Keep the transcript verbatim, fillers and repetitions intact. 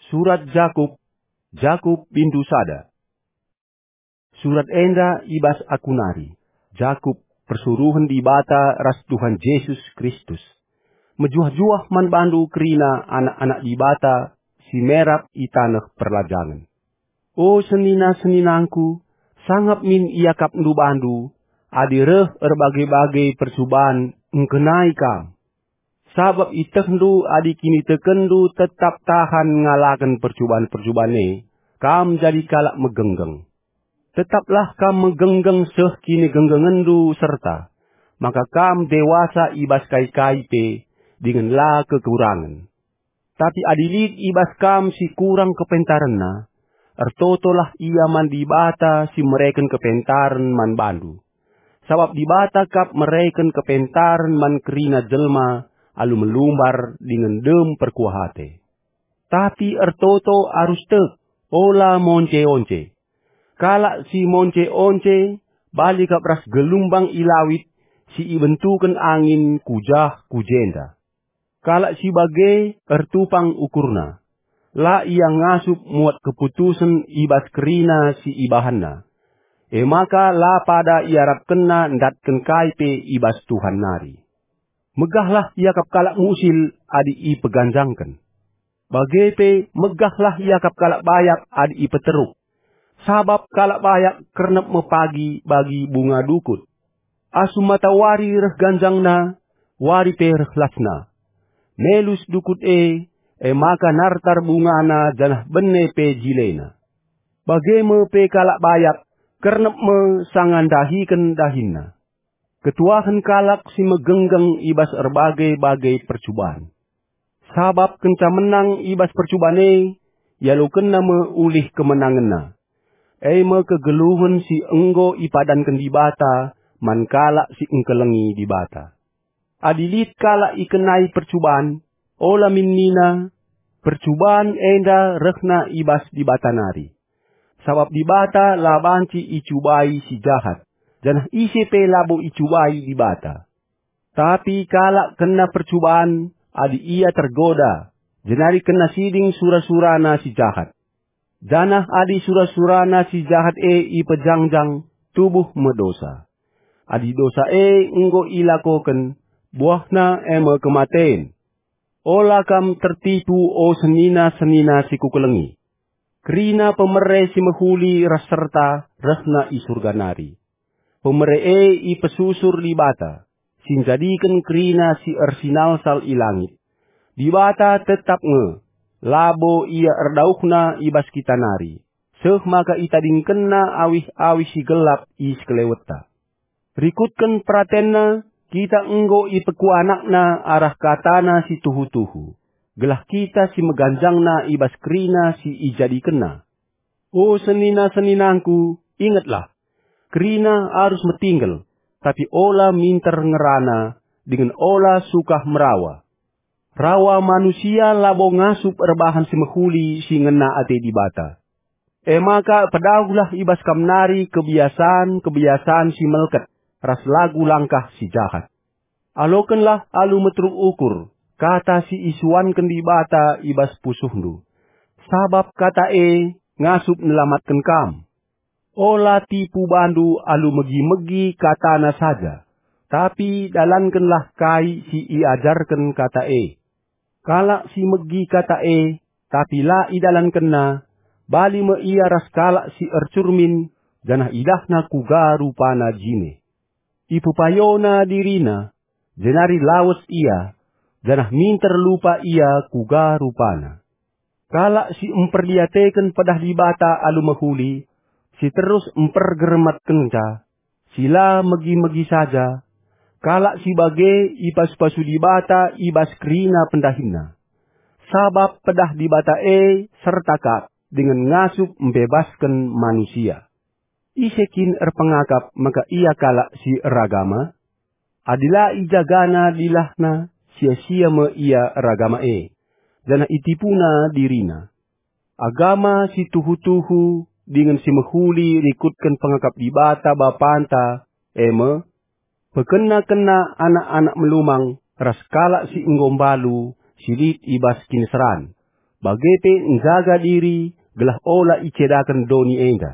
Surat Jakup, Jakup bindu sada. Surat enda i bas aku nari, Jakup, persuruhen Dibata ras Tuhan Jesus Kristus. Mejuah-juah man bandu kerina anak-anak Dibata si merap i taneh perlajangen. O senina-seninangku, sangap min iakapndu bandu, adi reh erbage-bage percuban engkenai kam. Sabap itehndu adi kinitekenndu tetap tahan ngalaken percuban-percuban e, kam jadi kalak megenggeng. Tetaplah kam megenggeng seh kinigenggengenndu serta, maka kam dewasa i bas kai-kai pe, dingen la kekurangen. Tapi adi lit i bas kam si kurang kepentarenna, ertotolah ia man Dibata si mereken kepentaren man bandu. Sabap Dibata kap mereken kepentaren man kerina jelma alu melumbar dingen dem perkuah ate. Tapi ertoto arus tek, ola monce-once. Kalak si monce-once bali kap ras gelumbang i lawit si ibentuken angin ku jah ku jenda. Kalak si bage ertupang ukurna. La ia ngasup muat keputusen i bas kerina si ibahanna. E maka la pada iarapkenna ndatken kai pe i bas Tuhan nari. Megahlah iakap kalak musil adi ipeganjangken. Bage pe megahlah iakap kalak bayak adi ipeteruk. Sabap kalak bayak kernep me pagi bagi bunga dukut. Asum matawari reh ganjangna, wari pe reh lasna. Melus dukut e, e maka nartar bungana janah bene pe jilena. Bage me pe kalak bayak, kernep me sanga ndahiken dahinna. Ketuahen kalak si megenggeng i bas erbage-bage percuban. Sabap kenca menang i bas percuban e, ialokenna me ulih kemenangenna. E me kegeluhen si enggo ipadanken Dibata man kalak si engkelengi Dibata. Adi lit kalak ikenai percuban, ola min nina, "Percuban enda rehna i bas Dibata nari." Sabap Dibata la banci icubai si jahat, janah ise pe labo icubai Dibata. Tapi kalak kena percuban adi ia tergoda, jenari kena siding sura-surana si jahat. Janah adi sura-surana si jahat e ipejangjang, tubuh me dosa. Adi dosa e enggo ilakoken, buahna e me kematen. Ola kam tertipu, o senina-senina si kukelengi. Kerina pemere si mehuli ras serta rehna i Surga nari. Pemere e ipesusur Dibata, si njadiken kerina si ersinalsal i langit. Dibata tetap nge, labo Ia erdauhna i bas kita nari, seh maka itadingkenNa awih-awih si gelap i sekelewetta. Rikutken peratenNa, kita enggo ipekuanakNa arah kataNa si tuhu-tuhu, gelah kita si meganjangna i bas kerina si ijadikenNa. O senina-seninangku, ingetlah, kerina arus metinggel, tapi ola minter ngerana, dingen ola sukah merawa. Rawa manusia labo ngasup erbahan si mehuli si ngena ate Dibata. E maka pedauhlah i bas kam nari kebiasan-kebiasan si melket ras lagu langkah si jahat. Alokenlah alu meteruk ukur kata si isuanken Dibata i bas pusuhndu, sabap kata e ngasup nelamatken kam. Ola tipu bandu alu megi-megi katana saja, tapi dalankenlah kai si iajarken kata e. Kalak si megi kata e, tapi la idalankenna, bali me ia ras kalak si ercurmin, janah idahna kuga rupana jine. Ipepayona dirina, jenari lawes ia, janah minter lupa ia kuga rupana. Kalak si mperdiateken pedah Dibata alu mehuli, si terus mpergermetkenca, si la megi-megi saja, kalak si bage ipasu-pasu Dibata i bas kerina pendahinna. Sabap pedah Dibata e serta kap dingen ngasup mbebasken manusia. Ise kin erpengakap maka ia kalak si eragama? Adi la ijagana dilahna, sia-sia me ia eragama e, janah itipuna dirina. Agama si tuhu-tuhu dingen si mehuli rikutken pengakap Dibata Bapanta, e me, pekena-kena anak-anak melumang ras kalak si enggo mbalu si lit i bas kiniseran, bage pe njaga diri gelah ola icedaken doni enda.